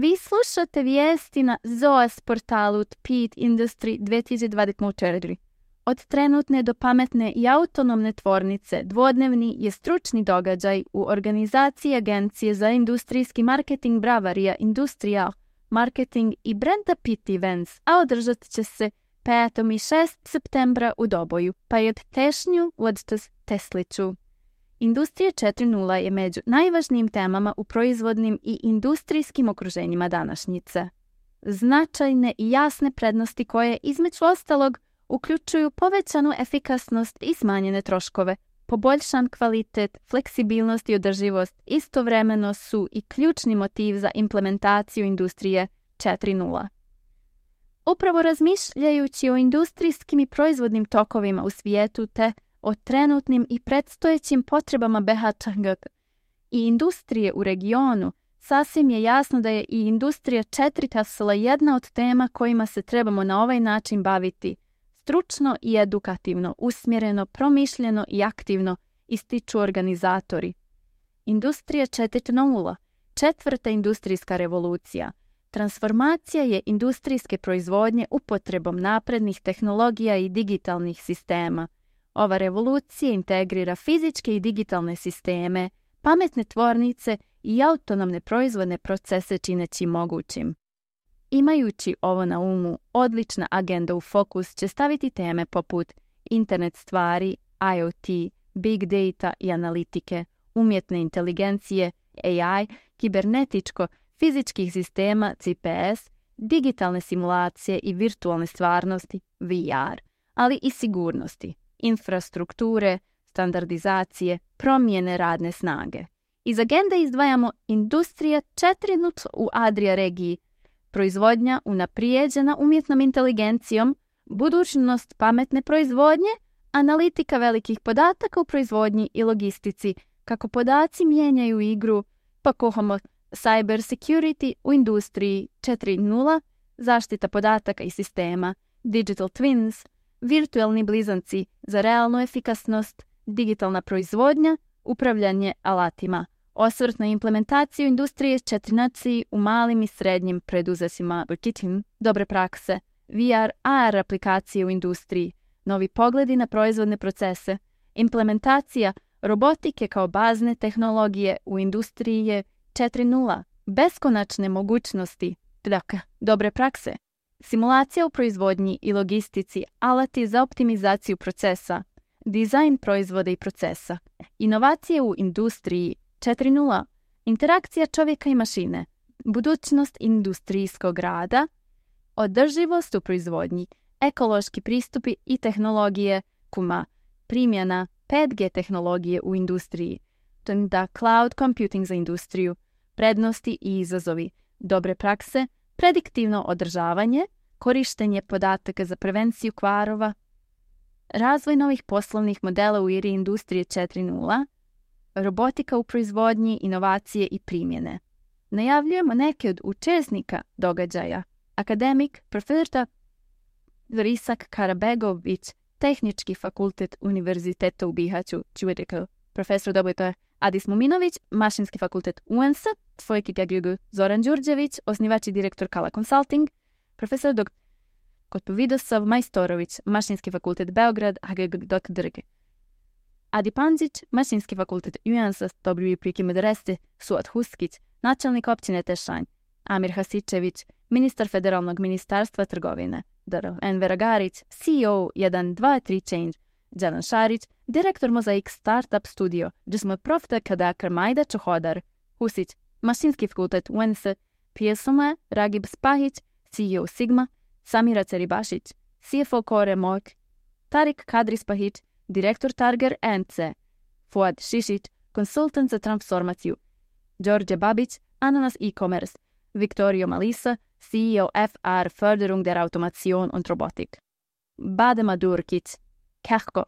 Vi slušate vijesti na ZOAS portalu Speed Industry 2024. Od trenutne do pametne i autonomne tvornice dvodnevni je stručni događaj u organizaciji Agencije za industrijski marketing Bavaria Industrial Marketing i Brenda Pitt Events, a održat će se 5. i 6. septembra u Doboju, pa i od tešnju od Tesliću. Industrija 4.0 je među najvažnijim temama u proizvodnim i industrijskim okruženjima današnjice. Značajne i jasne prednosti koje, između ostalog, uključuju povećanu efikasnost i smanjene troškove, poboljšan kvalitet, fleksibilnost i održivost, istovremeno su i ključni motiv za implementaciju industrije 4.0. Upravo razmišljajući o industrijskim i proizvodnim tokovima u svijetu te o trenutnim i predstojećim potrebama BHTG i industrije u regionu, sasvim je jasno da je i industrija 4.0 jedna od tema kojima se trebamo na ovaj način baviti, stručno i edukativno, usmjereno, promišljeno i aktivno, ističu organizatori. Industrija 4.0, četvrta industrijska revolucija. Transformacija je industrijske proizvodnje upotrebom naprednih tehnologija i digitalnih sistema. Ova revolucija integrira fizičke i digitalne sisteme, pametne tvornice i autonomne proizvodne procese čineći mogućim. Imajući ovo na umu, odlična agenda u fokus će staviti teme poput internet stvari, IoT, big data i analitike, umjetne inteligencije, AI, kibernetičko, fizičkih sistema, CPS, digitalne simulacije i virtualne stvarnosti, VR, ali i sigurnosti, infrastrukture, standardizacije, promjene radne snage. Iz agende izdvajamo industrija 4.0 u Adria regiji, proizvodnja unaprijeđena umjetnom inteligencijom, budućnost pametne proizvodnje, analitika velikih podataka u proizvodnji i logistici, kako podaci mijenjaju igru, pa kohamo cyber security u industriji 4.0, zaštita podataka i sistema, digital twins, virtualni blizanci za realnu efikasnost, digitalna proizvodnja, upravljanje alatima, osvrt na implementaciju industrije 4.0 u malim i srednjim preduzećima, dobre prakse, VR, AR aplikacije u industriji, novi pogledi na proizvodne procese, implementacija robotike kao bazne tehnologije u industriji je 4.0, beskonačne mogućnosti, dobre prakse, simulacija u proizvodnji i logistici, alati za optimizaciju procesa, dizajn proizvoda i procesa, inovacije u industriji 4.0, interakcija čovjeka i mašine, budućnost industrijskog rada, održivost u proizvodnji, ekološki pristupi i tehnologije, primjena 5G tehnologije u industriji, da cloud computing za industriju, prednosti i izazovi, dobre prakse, prediktivno održavanje, korištenje podataka za prevenciju kvarova, razvoj novih poslovnih modela u eri industrije 4.0, robotika u proizvodnji, inovacije i primjene. Najavljujemo neke od učesnika događaja. Akademik, profesor Vrisak Karabegović, Tehnički fakultet Univerziteta u Bihaću, profesor Dobojto Adis Muminović, Mašinski fakultet UNS, Tvojki Gagjugu Zoran Đurđević, osnivač i direktor Kala Consulting, profesor dr. Vidosov Majstorović, Mašinski fakultet Beograd, HGG.drg. Adi Panđić, Mašinski fakultet UNS, W. Priki Medreste, Suat Huskić, načelnik općine Tešanj, Amir Hasičević, ministar Federalnog ministarstva trgovine, Enver Agarić, CEO 123 Change, Đelan Šarić, direktor Mozaik Startup Studio, Džismo Profta Kadakar Majda Čohodar, Husić, Mašinski fakultet UNS, Pijesoma, Ragib Spahić, CEO Sigma, Samira Ceribašić, CFO Kore Mok, Tarik Kadri Spahić, direktor Targer NC, Fuad Šišić, konsultant za transformaciju, Đorđe Babić, Ananas e-commerce, Viktorio Malisa, CEO FR Förderung der Automation und Robotik, Badema Durkić, Kehko,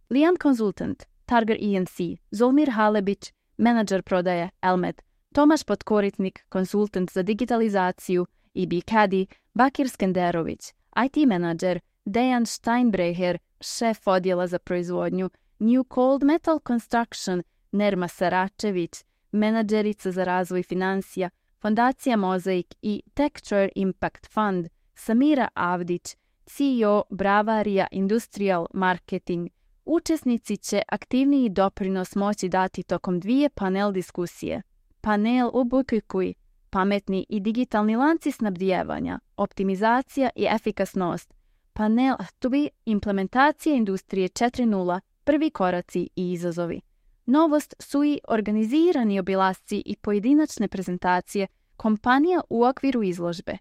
Lijan Konsultant, Targer ENC, Zolmir Halebić, menadžer prodaje Elmed, Tomaš Potkoritnik, konsultant za digitalizaciju, IB Kadi, Bakir Skenderović, IT menadžer, Dejan Steinbrecher, šef odjela za proizvodnju, New Cold Metal Construction, Nerma Saračević, menadžerica za razvoj financija, Fondacija Mozaik i Texture Impact Fund, Samira Avdić, CEO Bravaria Industrial Marketing. Učesnici će aktivniji doprinos moći dati tokom 2 panel diskusije. Panel Ubukuj, pametni i digitalni lanci snabdijevanja, optimizacija i efikasnost. Panel 2, implementacija industrije 4.0, prvi koraci i izazovi. Novost su i organizirani obilasci i pojedinačne prezentacije kompanija u okviru izložbe.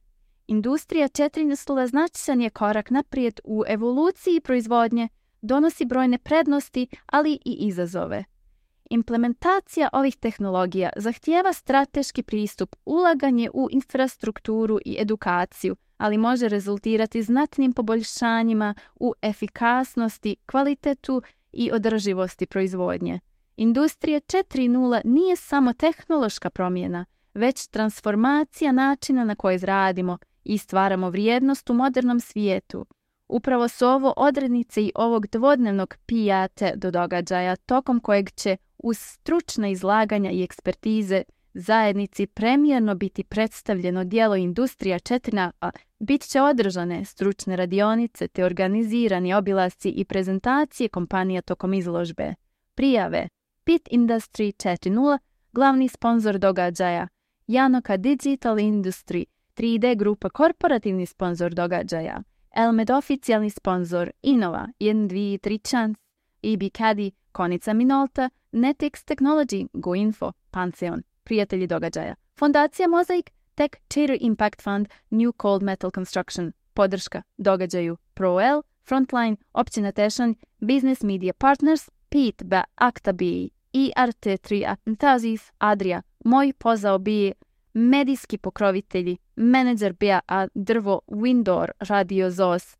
Industrija 4.0 značajan je korak naprijed u evoluciji proizvodnje, donosi brojne prednosti, ali i izazove. Implementacija ovih tehnologija zahtijeva strateški pristup, ulaganje u infrastrukturu i edukaciju, ali može rezultirati znatnim poboljšanjima u efikasnosti, kvalitetu i održivosti proizvodnje. Industrija 4.0 nije samo tehnološka promjena, već transformacija načina na koji radimo i stvaramo vrijednost u modernom svijetu. Upravo su ovo odrednice i ovog dvodnevnog pijate do događaja, tokom kojeg će uz stručna izlaganja i ekspertize zajednici premijerno biti predstavljeno djelo Industrija 4.0, bit će održane stručne radionice te organizirani obilasci i prezentacije kompanija tokom izložbe. Prijave: PIT Industry 4.0, glavni sponzor događaja, Janoka Digital Industry, 3D Grupa korporativni sponzor događaja, Elmed oficijalni sponzor, Innova, 1, 2, 3 Chance, EB Caddy, Konica Minolta, Netix Technology, GoInfo, Pantheon, prijatelji događaja, Fondacija Mozaik, Texture Impact Fund, New Cold Metal Construction, podrška događaju ProL, Frontline, Općina Tešanj, Business Media Partners, PIT, Akta BI, IRT3 Atentazis, Adria, Moj pozao BI, medijski pokrovitelji, menadžer BA Drvo, Windor, Radio ZOS,